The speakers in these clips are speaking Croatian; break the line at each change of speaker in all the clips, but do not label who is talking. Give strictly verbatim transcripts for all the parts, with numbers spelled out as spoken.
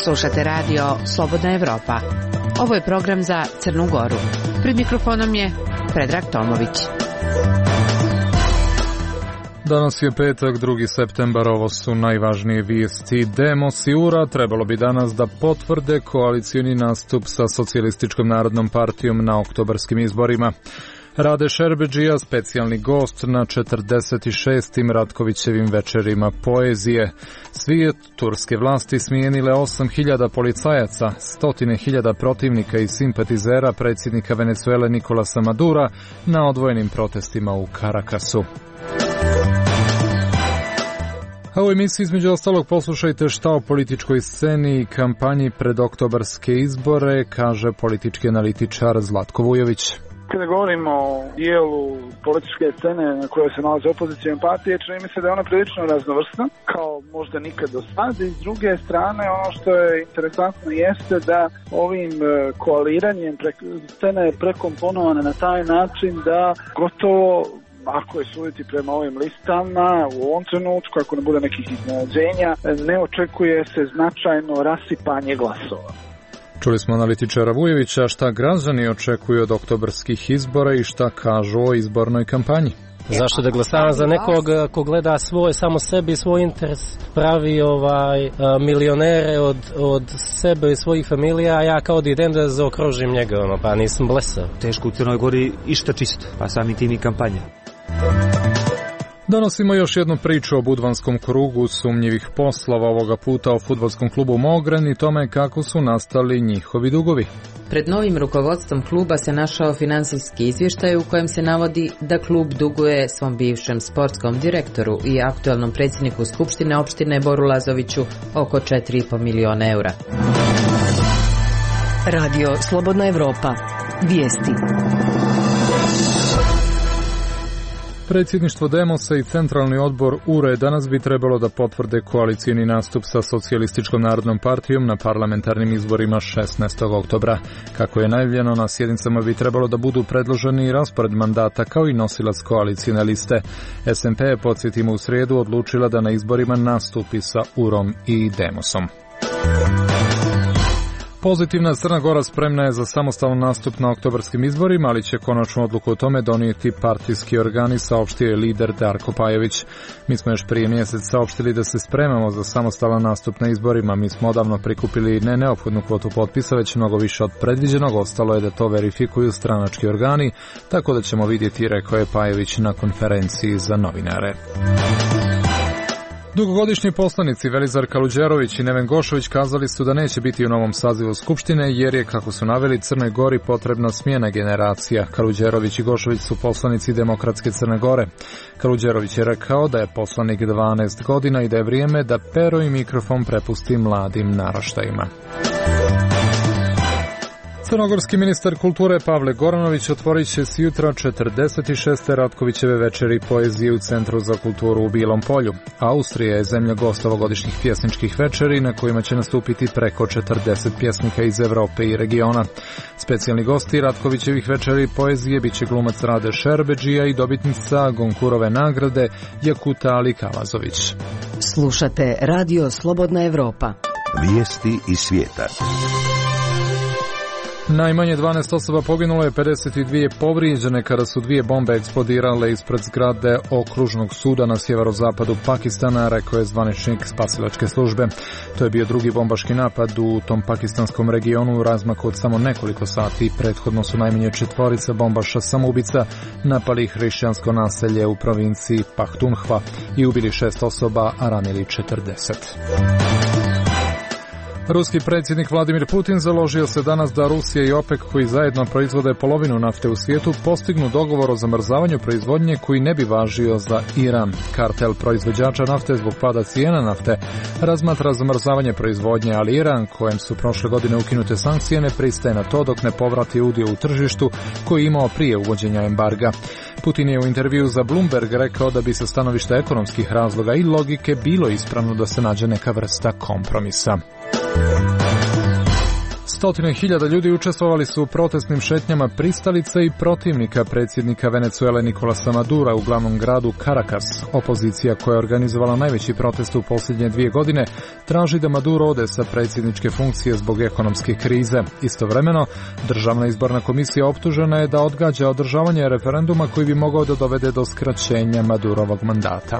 Slušate radio Slobodna Evropa. Ovo je program za Crnu Goru. Pred mikrofonom je Predrag Tomović.
Danas je petak, drugi septembar, ovo su najvažnije vijesti. Demos i U R A trebalo bi danas da potvrde koalicioni nastup sa Socijalističkom narodnom partijom na oktobarskim izborima. Rade Šerbedžija, specijalni gost na četrdeset šestim Ratkovićevim večerima poezije. Svijet turske vlasti smijenile osam hiljada policajaca, stotine hiljada protivnika i simpatizera predsjednika Venezuele Nicolasa Madura na odvojenim protestima u Karakasu. A u emisiji između ostalog poslušajte šta o političkoj sceni i kampanji pred oktobarske izbore kaže politički analitičar Zlatko Vujović.
Kada govorimo o dijelu političke scene na kojoj se nalaze opozicijne partije, čini mi se da je ona prilično raznovrsna, kao možda nikad do sada. I s druge strane, ono što je interesantno jeste da ovim koaliranjem scena je prekomponovana na taj način da gotovo, ako je suditi prema ovim listama, u ovom trenutku, ako ne bude nekih iznenađenja, ne očekuje se značajno rasipanje glasova.
Čuli smo analitičara Vujevića šta građani očekuju od oktobarskih izbora i šta kažu o izbornoj kampanji.
Zašto da glasavam za nekog ko gleda svoj, samo sebi i svoj interes, pravi ovaj milionere od, od sebe i svojih familija, a ja kao da idem da zaokružim njega, ono, pa nisam blesao.
Teško u Crnoj Gori išta čisto, pa samim tim i kampanja.
Donosimo još jednu priču o budvanskom krugu sumnjivih poslova, ovoga puta o fudbalskom klubu Mogren i tome kako su nastali njihovi dugovi.
Pred novim rukovodstvom kluba se našao finansijski izvještaj u kojem se navodi da klub duguje svom bivšem sportskom direktoru i aktualnom predsjedniku Skupštine opštine Boru Lazoviću oko četiri i po miliona eura.
Radio Slobodna Evropa. Vijesti.
Predsjedništvo Demosa i Centralni odbor U R A danas bi trebalo da potvrde koalicijni nastup sa Socijalističkom narodnom partijom na parlamentarnim izborima šesnaestog oktobra. Kako je najavljeno, na sjednicama bi trebalo da budu predloženi raspored mandata kao i nosilac koalicijne liste. S N P je, podsjetimo, u srijedu odlučila da na izborima nastupi sa U R A-om i Demosom. Pozitivna Crna Gora spremna je za samostalan nastup na oktobarskim izborima, ali će konačnu odluku o tome donijeti partijski organi, saopštio je lider Darko Pajović. Mi smo još prije mjesec saopštili da se spremamo za samostalan nastup na izborima. Mi smo odavno prikupili ne neophodnu kvotu potpisa, već mnogo više od predviđenog. Ostalo je da to verifikuju stranački organi, tako da ćemo vidjeti, rekao je Pajović na konferenciji za novinare. Dugogodišnji poslanici Velizar Kaluđerović i Neven Gošović kazali su da neće biti u novom sazivu Skupštine jer je, kako su naveli, Crnoj Gori potrebna smjena generacija. Kaluđerović i Gošović su poslanici Demokratske Crne Gore. Kaluđerović je rekao da je poslanik dvanaest godina i da je vrijeme da pero i mikrofon prepusti mladim naraštajima. Crnogorski ministar kulture Pavle Goranović otvorit će s jutra četrdeset šeste Ratkovićeve večeri poezije u Centru za kulturu u Bilom Polju. Austrija je zemlja gost ovogodišnjih pjesničkih večeri na kojima će nastupiti preko četrdeset pjesnika iz Evrope i regiona. Specijalni gosti Ratkovićevih večeri poezije biće glumac Rade Šerbedžija i dobitnica Gonkurove nagrade Jakuta Ali Kalazović.
Slušate Radio Slobodna Evropa.
Vijesti iz svijeta.
Najmanje dvanaest osoba poginulo je, pedeset dvije povrijeđene kada su dvije bombe eksplodirale ispred zgrade okružnog suda na sjeverozapadu Pakistana, rekao je zvaničnik spasilačke službe. To je bio drugi bombaški napad u tom pakistanskom regionu u razmaku od samo nekoliko sati. Prethodno su najmanje četvorica bombaša samoubica napali hrišćansko naselje u provinciji Pahtunhva i ubili šest osoba, a ranili četrdeset. Ruski predsjednik Vladimir Putin založio se danas da Rusija i OPEC, koji zajedno proizvode polovinu nafte u svijetu, postignu dogovor o zamrzavanju proizvodnje koji ne bi važio za Iran. Kartel proizvođača nafte zbog pada cijena nafte razmatra zamrzavanje proizvodnje, ali Iran, kojem su prošle godine ukinute sankcije, ne pristaje na to dok ne povrati udio u tržištu koji je imao prije uvođenja embarga. Putin je u intervju za Bloomberg rekao da bi sa stanovišta ekonomskih razloga i logike bilo ispravno da se nađe neka vrsta kompromisa. Stotine hiljada ljudi učestvovali su u protestnim šetnjama pristalica i protivnika predsjednika Venezuele Nicolasa Madura u glavnom gradu Caracas. Opozicija koja je organizovala najveći protest u posljednje dvije godine traži da Maduro ode sa predsjedničke funkcije zbog ekonomske krize. Istovremeno, Državna izborna komisija optužena je da odgađa održavanje referenduma koji bi mogao da dovede do skraćenja Madurovog mandata.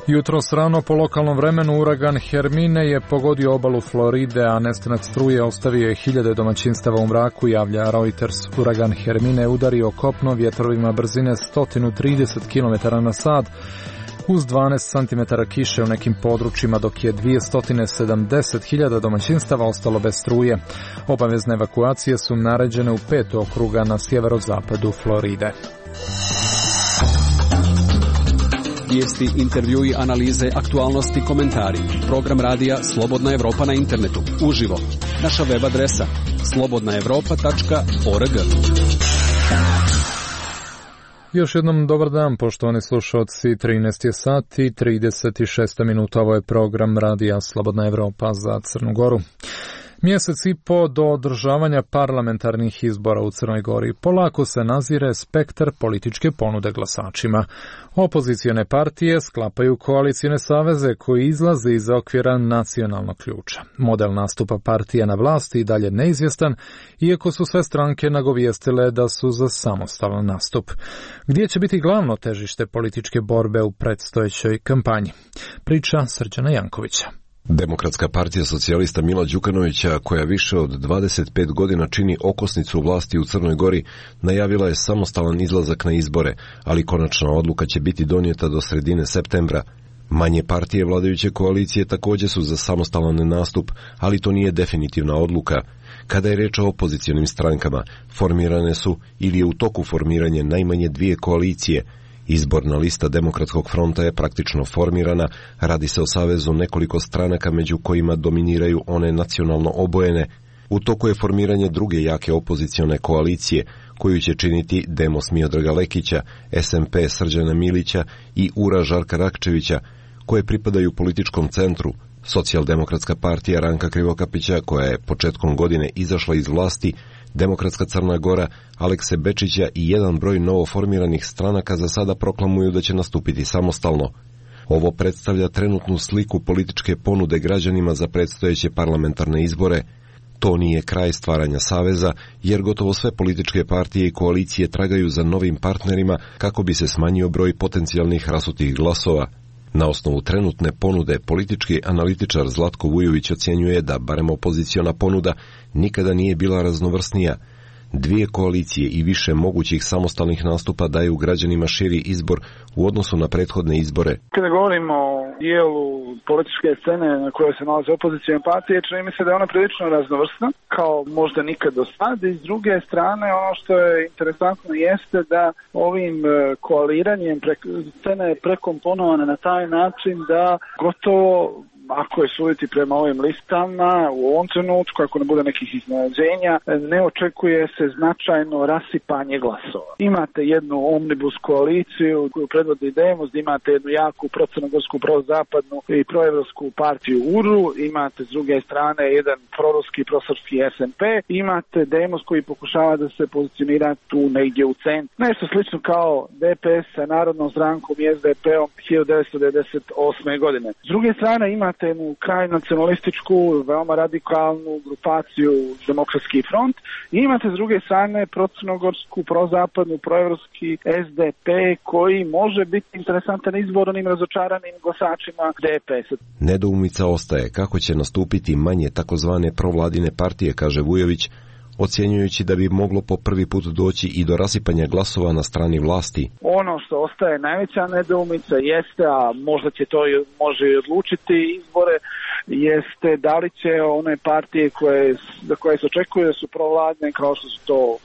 Jutros rano po lokalnom vremenu uragan Hermine je pogodio obalu Floride, a nestanak struje ostavio je hiljade domaćinstava u mraku, javlja Reuters. Uragan Hermine je udario kopno vjetrovima brzine sto trideset kilometara na sat, uz dvanaest centimetara kiše u nekim područjima, dok je dvjesto sedamdeset hiljada domaćinstava ostalo bez struje. Obavezne evakuacije su naređene u pet okruga na sjeverozapadu Floride.
Vijesti, intervjui, analize, aktualnosti, komentari. Program radija Slobodna Evropa na internetu. Uživo. Naša web adresa slobodna evropa tačka org.
Još jednom dobar dan, poštovani slušalci. trinaest je sati i trideset šest minuta. Ovo je program radija Slobodna Evropa za Crnu Goru. Mjesec i po do održavanja parlamentarnih izbora u Crnoj Gori polako se nazire spektar političke ponude glasačima. Opozicione partije sklapaju koalicijne saveze koji izlaze iz okvira nacionalnog ključa. Model nastupa partija na vlasti i dalje neizvjestan, iako su sve stranke nagovijestile da su za samostalan nastup. Gdje će biti glavno težište političke borbe u predstojećoj kampanji? Priča Srđana Jankovića.
Demokratska partija socijalista Mila Đukanovića, koja više od dvadeset pet godina čini okosnicu vlasti u Crnoj Gori, najavila je samostalan izlazak na izbore, ali konačna odluka će biti donijeta do sredine septembra. Manje partije vladajuće koalicije također su za samostalan nastup, ali to nije definitivna odluka. Kada je reč o opozicionim strankama, formirane su ili je u toku formiranje najmanje dvije koalicije. Izborna lista Demokratskog fronta je praktično formirana, radi se o savezu nekoliko stranaka među kojima dominiraju one nacionalno obojene. U toku je formiranje druge jake opozicione koalicije, koju će činiti Demos Miodraga Lekića, S M P Srđana Milića i U R A Žarka Rakčevića, koje pripadaju političkom centru. Socijaldemokratska partija Ranka Krivokapića, koja je početkom godine izašla iz vlasti, Demokratska Crna Gora, Alekse Bečića i jedan broj novoformiranih stranaka za sada proklamuju da će nastupiti samostalno. Ovo predstavlja trenutnu sliku političke ponude građanima za predstojeće parlamentarne izbore. To nije kraj stvaranja saveza, jer gotovo sve političke partije i koalicije tragaju za novim partnerima kako bi se smanjio broj potencijalnih rasutih glasova. Na osnovu trenutne ponude, politički analitičar Zlatko Vujović ocjenjuje da, barem opoziciona ponuda, nikada nije bila raznovrsnija. Dvije koalicije i više mogućih samostalnih nastupa daju građanima širi izbor u odnosu na prethodne izbore.
Kada govorimo o dijelu političke scene na kojoj se nalaze opozicijne partije, čini mi se da je ona prilično raznovrsna, kao možda nikad do sada. I s druge strane, ono što je interesantno jeste da ovim koaliranjem scena je prekomponovana na taj način da gotovo, ako je suditi prema ovim listama, u ovom trenutku, ako ne bude nekih iznenađenja, ne očekuje se značajno rasipanje glasova. Imate jednu omnibus koaliciju koju predvodi Demos, imate jednu jaku procrnogorsku, prozapadnu i proevropsku partiju U R U, imate s druge strane jedan proruski, prosrpski S M P, imate Demos koji pokušava da se pozicionira tu negdje u centru. Nešto slično kao D P S sa Narodnom strankom i S D P-om hiljadu devetsto devedeset osme godine. S druge strane imate jednu kraj nacionalističku, veoma radikalnu grupaciju Demokratski front i imate s druge strane procrnogorsku, prozapadnu, proevropski S D P koji može biti interesantan izbor onim razočaranim glasačima D P S-a.
Nedoumica ostaje kako će nastupiti manje takozvane provladine partije, kaže Vujović, ocjenjujući da bi moglo po prvi put doći i do rasipanja glasova na strani vlasti.
Ono što ostaje najveća nedoumica jeste, a možda će to može i odlučiti izbore, jeste da li će one partije koje, za koje se očekuje da su provladne, kao što su to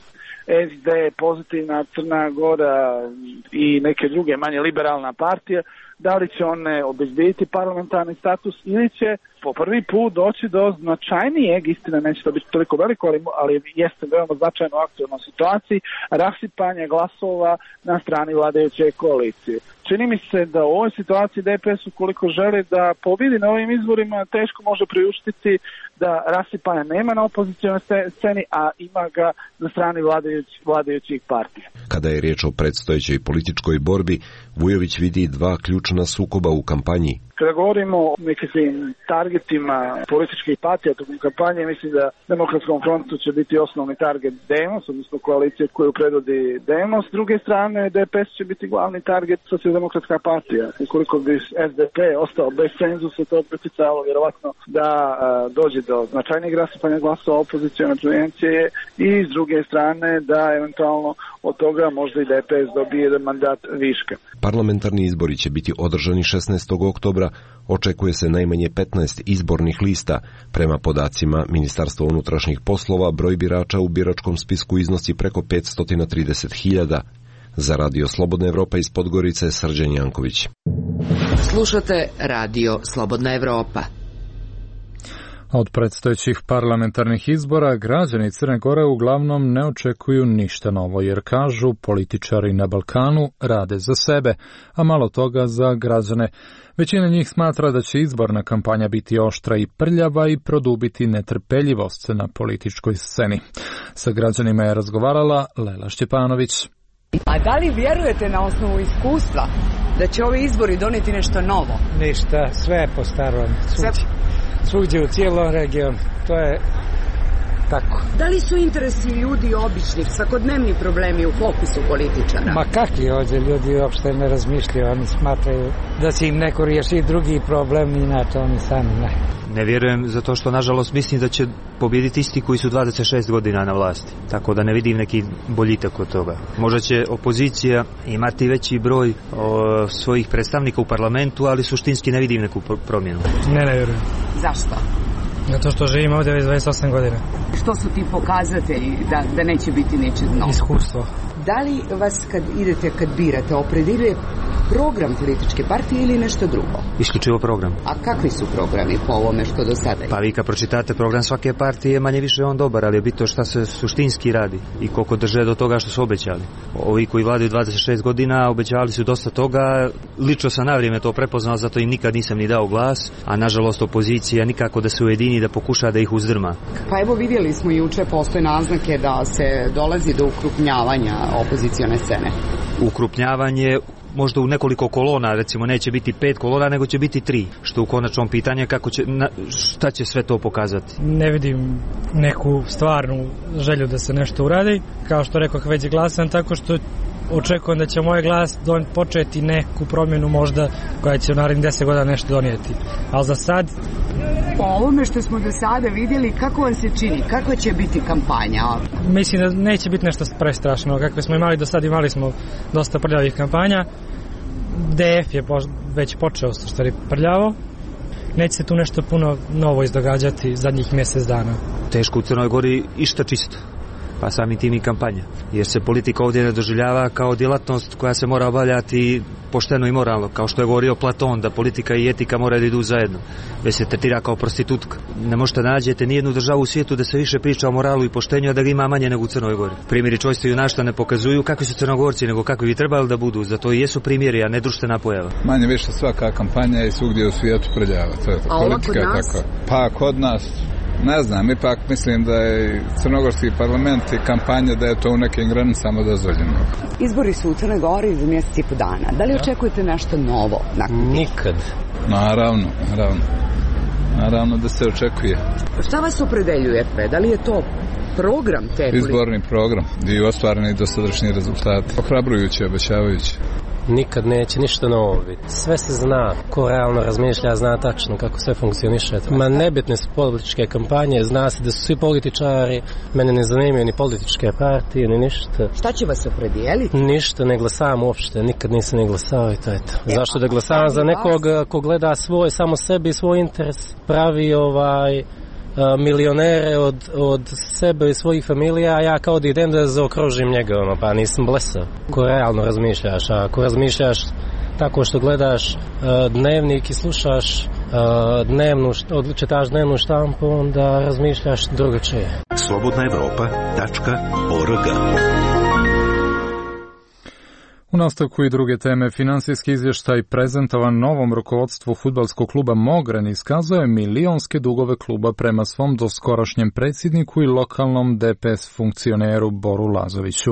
S D, Pozitivna Crna Gora i neke druge manje liberalna partije, da li će one obezbediti parlamentarni status ili će po prvi put doći do značajnijeg, istina neće to biti toliko veliko, ali, ali jeste veoma značajno u aktualnoj situaciji, rasipanje glasova na strani vladajuće koalicije. Čini mi se da u ovoj situaciji D P S ukoliko želi da pobjedi na ovim izborima teško može priuštiti da rasipanja nema na opozicionoj sceni, a ima ga na strani vladajuć, vladajućih partija.
Kada je riječ o predstojećoj političkoj borbi, Vujović vidi dva ključna sukoba u kampanji.
Kada govorimo o nekakvim targetima političkih partija tokom kampanje, mislim da Demokratskom frontu će biti osnovni target Demos, odnosno koalicija koju predvodi Demos. S druge strane, D P S će biti glavni target Socijaldemokratska partija. Ukoliko bi S D P ostao bez cenzusa, to bi utjecalo vjerovatno da a, dođe do značajnijeg rasipanja glasova opozicione prevencije i s druge strane da eventualno od toga možda i D P S dobije jedan mandat viška.
Parlamentarni izbori će biti održani šesnaestog oktobra, očekuje se najmanje petnaest izbornih lista. Prema podacima Ministarstva unutrašnjih poslova, broj birača u biračkom spisku iznosi preko petsto trideset hiljada. Za Radio Slobodna Evropa iz Podgorice, Srđan Janković.
Slušate Radio Slobodna Evropa.
Od predstojećih parlamentarnih izbora građani Crne Gore uglavnom ne očekuju ništa novo, jer kažu političari na Balkanu rade za sebe, a malo toga za građane. Većina njih smatra da će izborna kampanja biti oštra i prljava i produbiti netrpeljivost na političkoj sceni. Sa građanima je razgovarala Lela Šćepanović.
A da li vjerujete na osnovu iskustva da će ovi izbori doneti nešto novo?
Ništa, sve je po starom. Svugdje, svugdje u cijelom regionu. To je tako.
Da li su interesi ljudi običnih, svakodnevni problemi u fokusu političara?
Ma kakvi ovdje ljudi uopšte ne razmišljaju, oni smatraju da će im neko riješiti drugi problem, inače oni sami ne.
Ne vjerujem zato što nažalost mislim da će pobijediti isti koji su dvadeset šest godina na vlasti. Tako da ne vidim neki boljitak od toga. Možda će opozicija imati veći broj o, svojih predstavnika u parlamentu, ali suštinski ne vidim neku promjenu.
Ne, ne vjerujem.
Zašto?
Zato što živim ovdje već dvadeset osam godina.
Što su ti pokazatelji da, da neće biti ničeg novo?
Iskustvo.
Da li vas kad idete, kad birate, opredeljuje program političke partije ili nešto drugo?
Isključivo program.
A kakvi su programi po ovome što do sada je?
Pa vi kad pročitate program svake partije, manje više on dobar, ali je bitno šta se suštinski radi i koliko drže do toga što su obećali. Ovi koji vladaju dvadeset šest godina obećavali su dosta toga, lično sam na vrijeme to prepoznao, zato im nikad nisam ni dao glas, a nažalost opozicija nikako da se ujedini, da pokuša da ih uzdrma.
Pa evo vidjeli smo juče postoje naznake da se dolazi do ukrupnjavanja opozicione scene.
Ukrupnjavanje možda u nekoliko kolona, recimo neće biti pet kolona, nego će biti tri, što u konačnom pitanju kako će, na, šta će sve to pokazati.
Ne vidim neku stvarnu želju da se nešto uradi, kao što rekao već glasan, tako što očekujem da će moj glas don, početi neku promjenu možda koja će u narednih deset godina nešto donijeti. Ali za sad...
Po ovome što smo do sada vidjeli, kako vam se čini? Kako će biti kampanja?
Mislim da neće biti nešto prestrašno. Kakve smo imali do sada, imali smo dosta prljavih kampanja. D F je već počeo stvari prljavo. Neće se tu nešto puno novo izdogađati zadnjih mjesec dana.
Teško u Crnoj Gori išta čisto, pa samim tim i kampanja. Jer se politika ovdje ne doživljava kao djelatnost koja se mora obavljati pošteno i moralno, kao što je govorio Platon, da politika i etika moraju da idu zajedno, već se tretira kao prostitutka. Ne možete nađete nijednu državu u svijetu da se više priča o moralu i poštenju, a da ga ima manje nego u Crnoj Gori. Primjeri čojstva i junaštva ne pokazuju kakvi su Crnogorci, nego kakvi bi trebali da budu, zato i jesu primjeri, a ne društvena pojava.
Manje više svaka kampanja i svugdje u svijetu prljava, to je to, politika je tako. Pa kod nas ne znam, ipak mislim da je crnogorski parlament i kampanja da je to u nekim granicama dozvoljeno.
Izbori su u Crnoj Gori za mjesec i po dana. Da li očekujete nešto novo?
Nikad.
Naravno, naravno. Naravno da se očekuje.
Šta vas opredeljuje? Da li je to program te politike?
Izborni program i ostvareni dosadašnji rezultati. Ohrabrujući, obećavajući.
Nikad neće ništa novo biti. Sve se zna, ko realno razmišlja, zna tačno kako sve funkcioniše. Ma nebitne su političke kampanje, zna se da su svi političari, mene ne zanimaju ni političke partije, ni ništa.
Šta će vas opredijeliti?
Ništa, ne glasam uopšte, nikad nisam ne glasao i to je to. E, Zašto da glasam za nekog ko gleda svoj, samo sebi i svoj interes, pravi ovaj... milionere od, od sebe i svojih familija, a ja kao da idem da zaokružim njega, ono, pa nisam blesav. Ko realno razmišljaš, a ako razmišljaš tako što gledaš uh, dnevnik i slušaš uh, dnevnu, čitaš dnevnu štampu, onda razmišljaš drugačije.
slobodna evropa tačka org.
U nastavku i druge teme, finansijski izvještaj prezentovan novom rukovodstvu fudbalskog kluba Mogren iskazuje milionske dugove kluba prema svom doskorašnjem predsjedniku i lokalnom D P S funkcioneru Boru Lazoviću,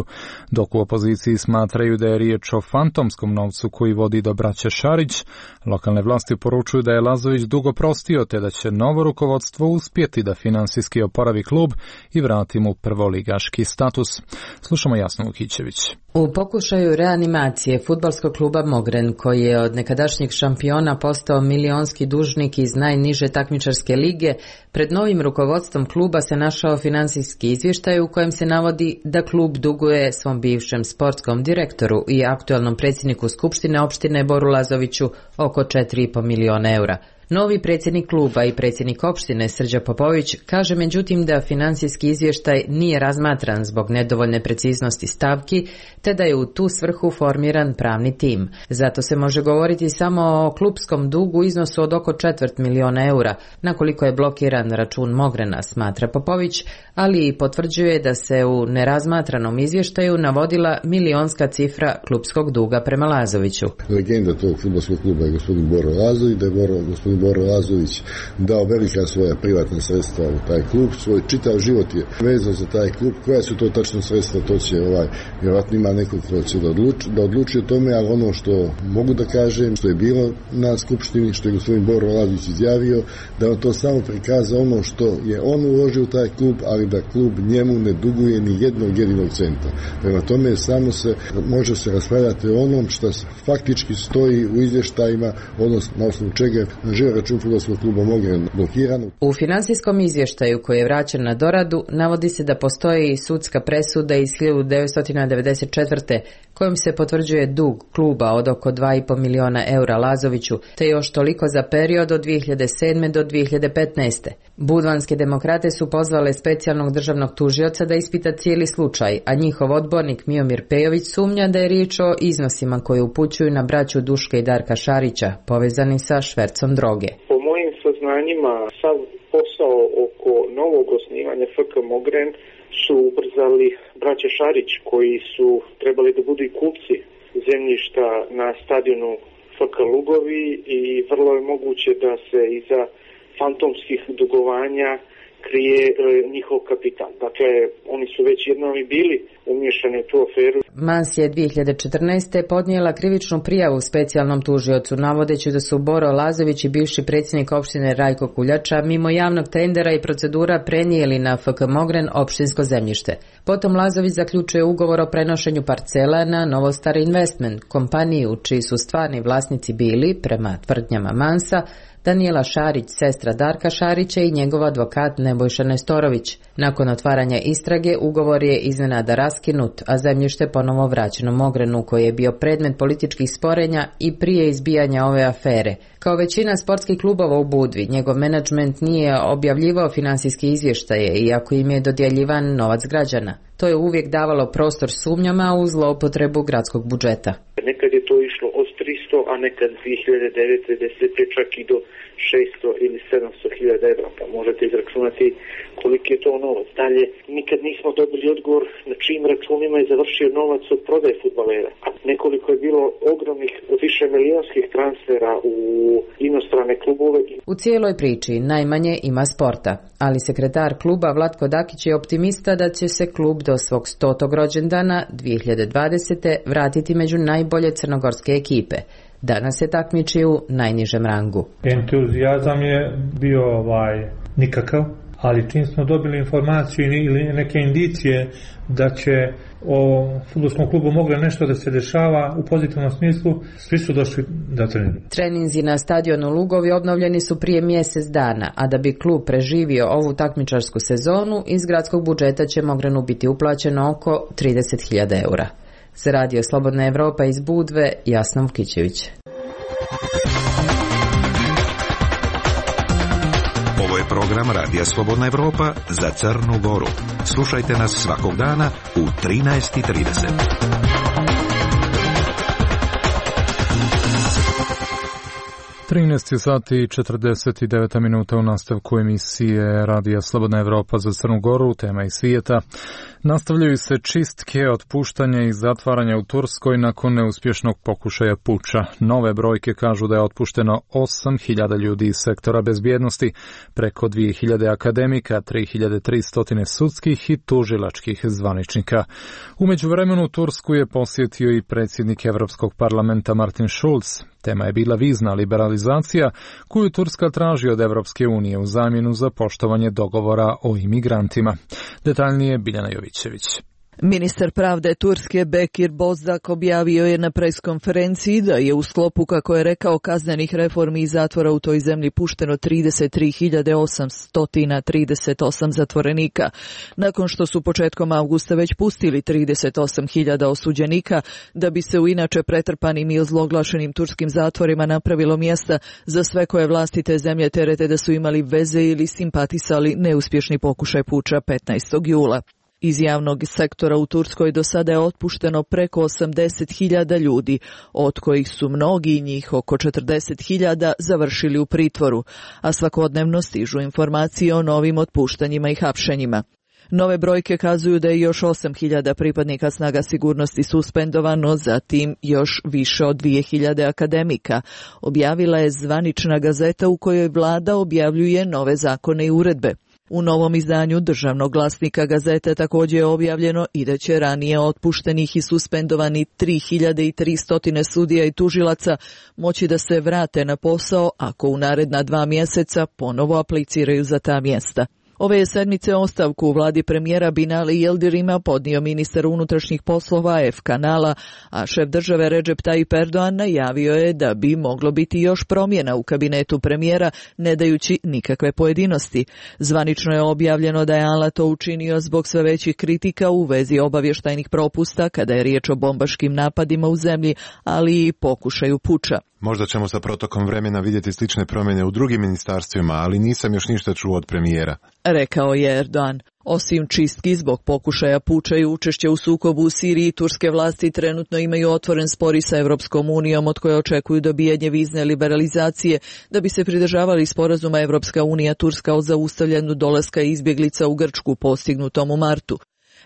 dok u opoziciji smatraju da je riječ o fantomskom novcu koji vodi do braće Šarić. Lokalne vlasti poručuju da je Lazović dugo prostio, te da će novo rukovodstvo uspjeti da finansijski oporavi klub i vrati mu prvoligaški status. Slušamo Jasnu Vukićević.
U pokušaju reanimacije fudbalskog kluba Mogren, koji je od nekadašnjeg šampiona postao milionski dužnik iz najniže takmičarske lige, pred novim rukovodstvom kluba se našao finansijski izvještaj u kojem se navodi da klub duguje svom bivšem sportskom direktoru i aktualnom predsjedniku Skupštine opštine Boru Lazoviću oko četiri i po miliona eura. Novi predsjednik kluba i predsjednik opštine Srđa Popović kaže međutim da finansijski izvještaj nije razmatran zbog nedovoljne preciznosti stavki, te da je u tu svrhu formiran pravni tim. Zato se može govoriti samo o klupskom dugu u iznosu od oko četvrt miliona eura, na koliko je blokiran račun Mogrena, smatra Popović, ali i potvrđuje da se u nerazmatranom izvještaju navodila milionska cifra klupskog duga prema Lazoviću.
Legenda tog fudbalskog kluba je gospodin Boro Lazović, da je Boro, gospodin Boro Lazović dao velika svoja privatna sredstva u taj klub, svoj čitav život je vezan za taj klub. Koja su to tačno sredstva, to će ovaj, vjerojatno ima nekog ko će da odluči, da odluči o tome, ali ono što mogu da kažem, što je bilo na skupštini, što je gospodin Boro Lazović izjavio, da on to samo prikaza ono što je on uložio u taj klub, ali da klub njemu ne duguje ni jednog jedinog centa. Prema tome samo se može se raspravljati o onom što faktički stoji u izvještajima, odnosno na osnovu čega je račun fudbalskog kluba Mogren blokiran.
U finansijskom izvještaju koji je vraćen na doradu navodi se da postoji sudska presuda iz hiljadu devetsto devedeset četvrte kojom se potvrđuje dug kluba od oko dva i po miliona eura Lazoviću, te još toliko za period od dvije hiljade sedme do dvije hiljade petnaeste. Budvanske demokrate su pozvale specijalnog državnog tužioca da ispita cijeli slučaj, a njihov odbornik Miomir Pejović sumnja da je riječ o iznosima koje upućuju na braću Duška i Darka Šarića, povezani sa švercom droge.
Po mojim saznanjima, sav posao oko novog osnivanja F K Mogren su ubrzali braća Šarić, koji su trebali da budu i kupci zemljišta na stadionu F K Lugovi i vrlo je moguće da se iza fantomskih dugovanja krije e, njihov kapital. Dakle, oni su već jednom i bili umiješani u tu aferu.
Mans je dvije hiljade četrnaeste. podnijela krivičnu prijavu specijalnom tužiocu, navodeći da su Boro Lazović i bivši predsjednik opštine Rajko Kuljača mimo javnog tendera i procedura prenijeli na F K Mogren opštinsko zemljište. Potom Lazović zaključuje ugovor o prenošenju parcela na Novostar Investment, kompaniju čiji su stvarni vlasnici bili, prema tvrdnjama Mansa, Danijela Šarić, sestra Darka Šarića i njegov advokat Nebojša Nestorović. Nakon otvaranja istrage ugovor je iznenada raskinut, a zemljište ponovo vraćeno Mogrenu, koji je bio predmet političkih sporenja i prije izbijanja ove afere. Kao većina sportskih klubova u Budvi, njegov menadžment nije objavljivao finansijske izvještaje, iako im je dodjeljivan novac građana. To je uvijek davalo prostor sumnjama u zloupotrebu gradskog budžeta.
Nekad je to išlo od tristo, a nekad dvije hiljade devete. desete čak i do šesto ili sedamsto hiljada evra, pa možete izračunati koliki je to novac. Dalje, nikad nismo dobili odgovor na čijim računima je završio novac od prodaje fudbalera. A nekoliko je bilo ogromnih, više milijonskih transfera u inostrane klubove.
U cijeloj priči najmanje ima sporta, ali sekretar kluba Vlatko Dakić je optimista da će se klub do svog stotog rođendana dvije hiljade dvadesete. vratiti među najbolje crnogorske ekipe. Danas se takmiči u najnižem rangu.
Entuzijazam je bio ovaj nikakav, ali čim smo dobili informaciju ili neke indicije da će o fudbalskom klubu moglo nešto da se dešava u pozitivnom smislu, svi su došli da treniraju.
Treninzi na stadionu Lugovi obnovljeni su prije mjesec dana, a da bi klub preživio ovu takmičarsku sezonu, iz gradskog budžeta će Mogrenu biti uplaćeno oko trideset hiljada eura. Za radio Slobodna Evropa iz Budve, Jasna Vukićević.
Ovo je program Radija Slobodna Evropa za Crnu Goru. Slušajte nas svakog dana u trinaest i trideset.
trinaest sati i četrdeset devet minuta u nastavku emisije Radija Slobodna Evropa za Crnu Goru, tema iz svijeta. Nastavljaju se čistke, otpuštanja i zatvaranja u Turskoj nakon neuspješnog pokušaja puča. Nove brojke kažu da je otpušteno osam hiljada ljudi iz sektora bezbjednosti, preko dvije hiljade akademika, tri hiljade tristo sudskih i tužilačkih zvaničnika. U međuvremenu Tursku je posjetio i predsjednik Europskog parlamenta Martin Schulz. Tema je bila vizna liberalizacija koju Turska traži od Evropske unije u zamjenu za poštovanje dogovora o imigrantima. Detaljnije Biljana Jovićević.
Ministar pravde Turske Bekir Bozdaq objavio je na preskonferenciji da je u sklopu, kako je rekao, kaznenih reformi i zatvora u toj zemlji pušteno trideset tri hiljade osamsto trideset osam zatvorenika. Nakon što su početkom avgusta već pustili trideset osam hiljada osuđenika, da bi se u inače pretrpanim i ozloglašenim turskim zatvorima napravilo mjesta za sve koje vlasti te zemlje terete da su imali veze ili simpatisali neuspješni pokušaj puča petnaestog jula. Iz javnog sektora u Turskoj do sada je otpušteno preko osamdeset hiljada ljudi, od kojih su mnogi njih, oko četrdeset hiljada, završili u pritvoru, a svakodnevno stižu informacije o novim otpuštanjima i hapšenjima. Nove brojke kazuju da je još osam hiljada pripadnika snaga sigurnosti suspendovano, zatim još više od dvije hiljade akademika. Objavila je zvanična gazeta u kojoj vlada objavljuje nove zakone i uredbe. U novom izdanju državnog glasnika gazete također je objavljeno i da će ranije otpuštenih i suspendovani tri hiljade tristo sudija i tužilaca moći da se vrate na posao ako u naredna dva mjeseca ponovo apliciraju za ta mjesta. Ove je sedmice ostavku u vladi premijera Binali Yildirima podnio ministar unutrašnjih poslova F kanala, a šef države Recep Tayyip Erdogan najavio je da bi moglo biti još promjena u kabinetu premijera, ne dajući nikakve pojedinosti. Zvanično je objavljeno da je Ala to učinio zbog sve većih kritika u vezi obavještajnih propusta kada je riječ o bombaškim napadima u zemlji, ali i pokušaju puča.
Možda ćemo sa protokom vremena vidjeti slične promjene u drugim ministarstvima, ali nisam još ništa čuo od premijera,
rekao je Erdogan. Osim čistki zbog pokušaja puča i učešća u sukobu u Siriji, turske vlasti trenutno imaju otvoren spor i sa Evropskom unijom, od koje očekuju dobijanje vizne liberalizacije da bi se pridržavali sporazuma Evropska unija Turska o zaustavljanju dolaska izbjeglica u Grčku postignutom u martu.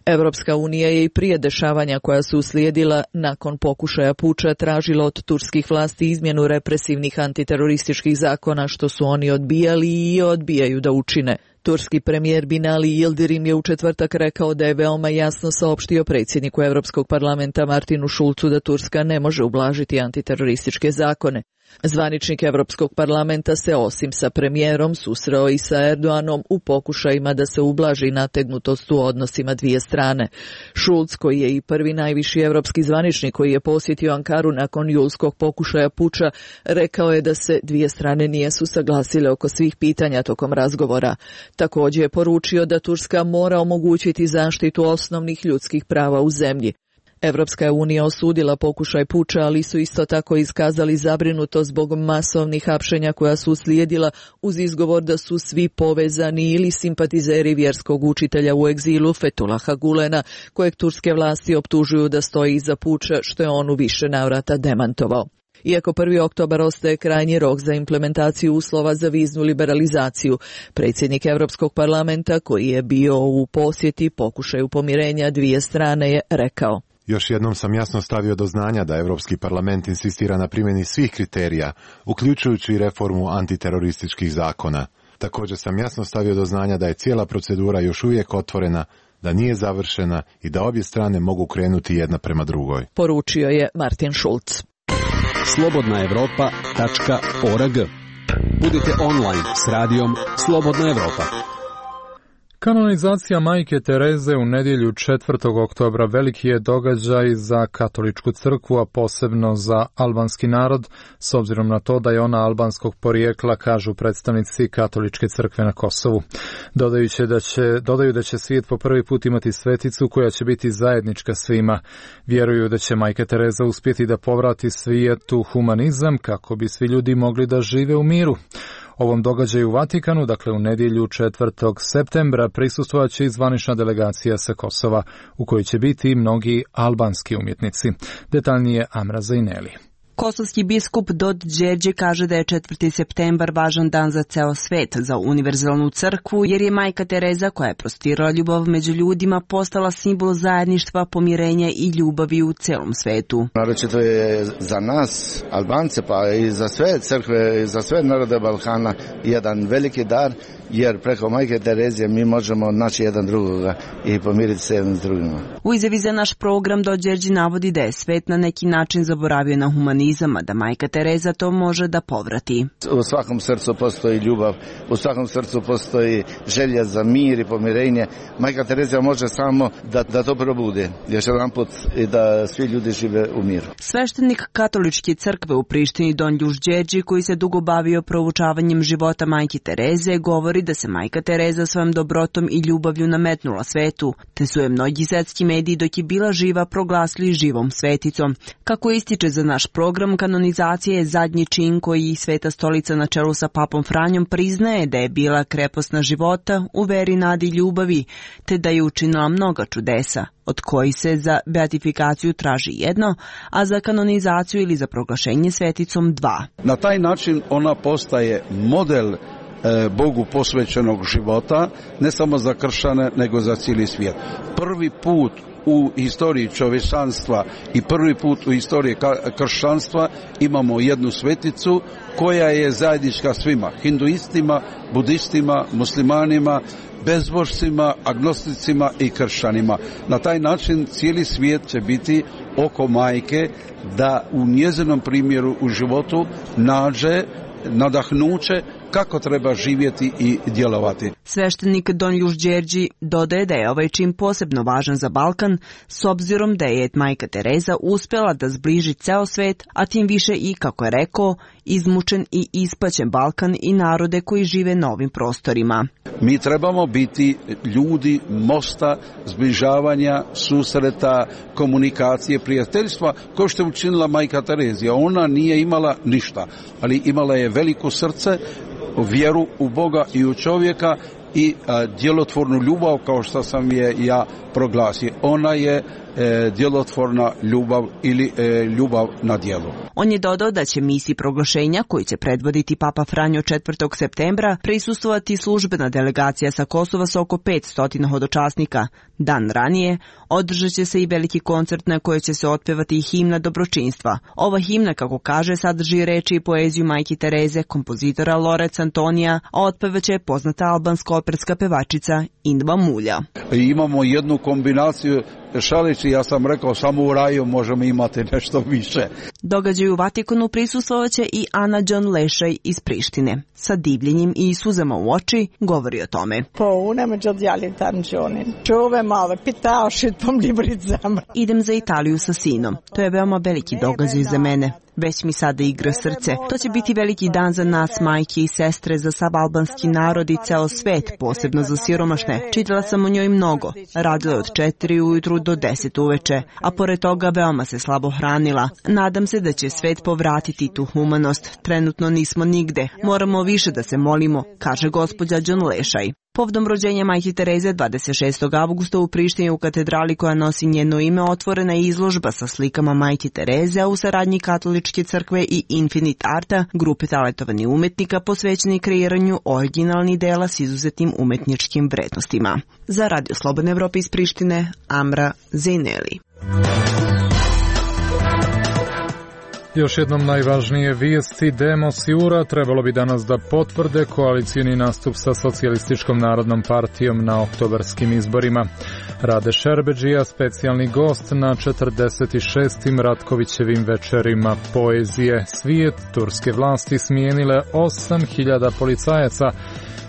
Evropska unija je i prije dešavanja koja su uslijedila nakon pokušaja puča tražila od turskih vlasti izmjenu represivnih antiterorističkih zakona, što su oni odbijali i odbijaju da učine. Turski premijer Binali Yildirim je u četvrtak rekao da je veoma jasno saopštio predsjedniku Europskog parlamenta Martinu Schulzu da Turska ne može ublažiti antiterorističke zakone. Zvaničnik Europskog parlamenta se osim sa premijerom susreo i sa Erdoganom u pokušajima da se ublaži nategnutost u odnosima dvije strane. Schulz, koji je i prvi najviši europski zvaničnik koji je posjetio Ankaru nakon julskog pokušaja puča, rekao je da se dvije strane nisu saglasile oko svih pitanja tokom razgovora. Također je poručio da Turska mora omogućiti zaštitu osnovnih ljudskih prava u zemlji. Evropska je unija osudila pokušaj puča, ali su isto tako iskazali zabrinutost zbog masovnih hapšenja koja su uslijedila uz izgovor da su svi povezani ili simpatizeri vjerskog učitelja u egzilu Fethullaha Gulena, kojeg turske vlasti optužuju da stoji iza puča, što je on u više navrata demantovao. Iako prvi oktobar ostaje krajnji rok za implementaciju uslova za viznu liberalizaciju, predsjednik Europskog parlamenta, koji je bio u posjeti pokušaju pomirenja dvije strane, je rekao:
Još jednom sam jasno stavio do znanja da Europski parlament insistira na primjeni svih kriterija, uključujući i reformu antiterorističkih zakona. Također sam jasno stavio do znanja da je cijela procedura još uvijek otvorena, da nije završena i da obje strane mogu krenuti jedna prema drugoj,
poručio je Martin Schulz.
slobodna evropa tačka org. Budite online s radijom Slobodna Evropa.
Kanonizacija majke Tereze u nedjelju četvrtog oktobra veliki je događaj za katoličku crkvu, a posebno za albanski narod, s obzirom na to da je ona albanskog porijekla, kažu predstavnici katoličke crkve na Kosovu. Dodajući da će, dodaju da će svijet po prvi put imati sveticu koja će biti zajednička svima. Vjeruju da će majka Tereza uspjeti da povrati svijetu humanizam kako bi svi ljudi mogli da žive u miru. Ovom događaju u Vatikanu, dakle u nedjelju četvrtog septembra, prisustvovat će i zvanična delegacija sa Kosova, u kojoj će biti i mnogi albanski umjetnici. Detaljnije Amra Zaineli.
Kosovski biskup Dod Đerđe kaže da je četvrti septembar važan dan za ceo svet, za univerzalnu crkvu, jer je majka Tereza, koja je prostirala ljubav među ljudima, postala simbol zajedništva, pomirenja i ljubavi u celom svetu.
Naročito je za nas, Albance, pa i za sve crkve, i za sve narode Balkana, jedan veliki dar, jer preko majke Terezije mi možemo naći jedan drugoga i pomiriti se jedan s drugima.
U izjavi za naš program Dod Đerđe navodi da je svet na neki način zaboravio na humanizam, a da majka Tereza to može da povrati.
U svakom srcu postoji ljubav, u svakom srcu postoji želja za mir i pomirenje. Majka Terezija može samo da, da to probude, još jedan put, i da svi ljudi žive u miru.
Sveštenik katoličke crkve u Prištini Don Ljuš Đerđi, koji se dugo bavio proučavanjem života majke Tereze, govori da se majka Tereza svojom dobrotom i ljubavlju nametnula svetu, te su je mnogi svetski mediji dok je bila živa proglasili živom sveticom. Kako ističe za naš program, kanonizacija je zadnji čin koji Sveta stolica na čelu sa papom Franjom priznaje da je bila krepostna života u veri, nadi i ljubavi, te da je učinila mnoga čudesa, od kojih se za beatifikaciju traži jedno, a za kanonizaciju ili za proglašenje sveticom dva.
Na taj način ona postaje model Bogu posvećenog života, ne samo za kršćane, nego za cijeli svijet. Prvi put u istoriji čovječanstva i prvi put u istoriji kršćanstva imamo jednu sveticu koja je zajednička svima, hinduistima, budistima, muslimanima, bezbožcima, agnosticima i kršćanima. Na taj način cijeli svijet će biti oko majke da u njezinom primjeru u životu nađe nadahnuće kako treba živjeti i djelovati.
Sveštenik Don Ljuš Đerđi dodaje da je ovaj čin posebno važan za Balkan, s obzirom da je majka Tereza uspjela da zbliži ceo svet, a tim više i, kako je rekao, izmučen i ispaćen Balkan i narode koji žive na ovim prostorima.
Mi trebamo biti ljudi mosta, zbližavanja, susreta, komunikacije, prijateljstva, kao što je učinila majka Terezija. Ona nije imala ništa, ali imala je veliko srce, vjeru u Boga i u čovjeka i a, djelotvornu ljubav, kao što sam je ja proglasio. Ona je e, djelotvorna ljubav ili e, ljubav na djelu.
On je dodao da će misiji proglašenja, koji će predvoditi Papa Franjo četvrtog septembra, prisustvovati službena delegacija sa Kosova sa oko petsto hodočasnika. Dan ranije održat će se i veliki koncert na kojoj će se otpevati i himna dobročinstva. Ova himna, kako kaže, sadrži reči i poeziju majke Tereze, kompozitora Lorenza Antonija, a otpevaće poznata albanska operska pevačica Indva Mulja.
Imamo jednu kombinaciju šalići, ja sam rekao, samo u raju možemo imati nešto više.
Događaju u Vatikanu prisustvovaće i Ana John Lešaj iz Prištine. Sa divljenjem i suzama u oči govori o tome. Idem za Italiju sa sinom. To je veoma veliki događaj za mene. Već mi sada igra srce. To će biti veliki dan za nas, majke i sestre, za sav albanski narod i ceo svet, posebno za siromašne. Čitala sam o njoj mnogo. Radila je od četiri ujutru do deset uveče, a pored toga veoma se slabo hranila. Nadam se da će svet povratiti tu humanost. Trenutno nismo nigde. Moramo više da se molimo, kaže gospođa John Lešaj. Povodom rođenja majke Tereze dvadeset šestog avgusta u Prištini u katedrali koja nosi njeno ime otvorena je izložba sa slikama majke Tereze, a u saradnji Katoličke crkve i Infinite Arta, grupe talentovanih umetnika posvećeni kreiranju originalnih dela s izuzetnim umetničkim vrednostima. Za Radio Slobodne Evrope iz Prištine, Amra Zejneli.
Još jednom najvažnije vijesti. Demos i URA trebalo bi danas da potvrde koalicijni nastup sa Socijalističkom narodnom partijom na oktobarskim izborima. Rade Šerbedžija, specijalni gost na četrdeset šestim Ratkovićevim večerima poezije. Svijet, turske vlasti smijenile osam hiljada policajaca,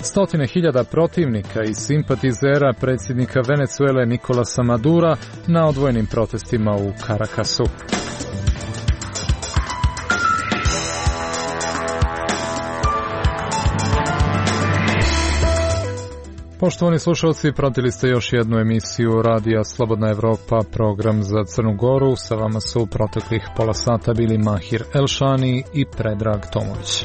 stotine hiljada protivnika i simpatizera predsjednika Venezuele Nikolasa Madura na odvojenim protestima u Carakasu. Poštovani slušalci, pratili ste još jednu emisiju Radija Slobodna Evropa, program za Crnu Goru. Sa vama su u proteklih pola sata bili Mahir Elšani i Predrag Tomović.